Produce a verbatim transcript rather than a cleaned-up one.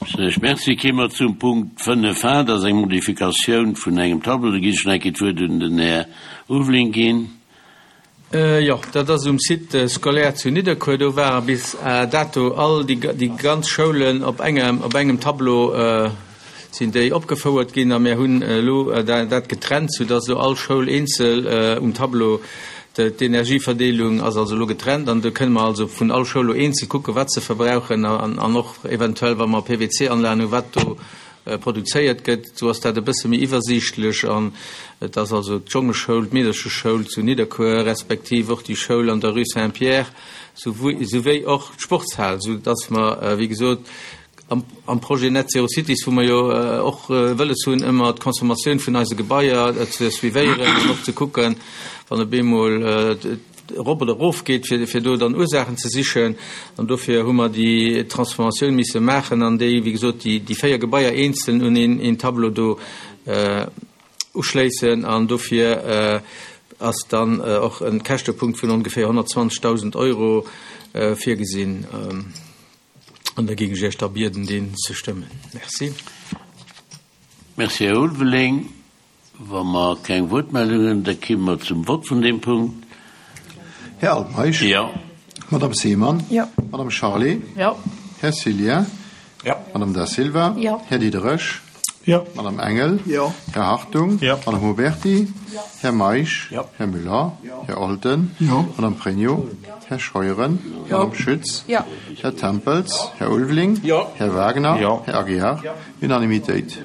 Ech merci. Kéime mer zum Punkt fënnef A, dat ass eng Modifikatioun vun engem Tableau. Do ginn ech nach eng Kéier d'Wuert un den Här Ulveling ginn. Jo, dat ass um Site scolaire zu Nidderkuer. Do ware bis dato all déi ganz Schoulen op engem, op engem Tableau sinn déi opgefouert ginn a mir hunn elo dat getrennt, soudass elo all Schoul eenzel um Tableau D'Energieverdeelung ass also elo getrennt an do kënne mer also vun all Schoul elo eenzel kucken, wat se verbrauchen an och eventuell, wa mer P W C-Anlagen hunn, wat do produzéiert gëtt. Esou ass dat e bësse méi iwwersiichtlech an et ass also d'Jongeschoul, d'Meedercheschoul zu Nidderkuer respektiv och déi Schoul an der Rue Saint-Pierre souwéi och d'Sportshal, soudass mer, wéi gesot, am Projet Net Zero Cities, wou mer jo och wëlles hunn, ëmmer d'Consommatioun vun eise Gebaier ze suivéieren an och ze kucken, wann op eemol erop oder erof geet, fir, fir do dann Ursaachen ze sichen. An dofir hu mer déi Transformatioun misse maachen an déi, wéi gesot, déi, déi véier Gebaier eenzel un een, een Tableau do uschléissen. An dofir ass dann och e Käschtepunkt vun ongeféier honnertzwanzegdausend Euro virgesinn. An da géing ech Iech da bieden, deen ze stëmmen. Merci. Merci, Här Ulveling. Wa mer keng Wuertmeldungen hunn, da komme mer zum Vott vun deem Punkt. Här Altmeisch. Jo. Madame Seemann. Jo. Madame Charlé. Jo. Här Cillien. Jo. Madame Da Silva. Jo. Här Diderich. Jo. Madame Engel. Jo. Här Hartung. Jo. Madame Huberty. Jo. Här Meisch. Jo. Här Müller. Jo. Här Olten. Jo. Madame Pregno. Här Scheuren. Jo. Madame Schütz. Jo. Här Tempels. Här Ulveling. Jo. Här Wagner. Jo. Här Aguiar. Jo. Unanimitéit.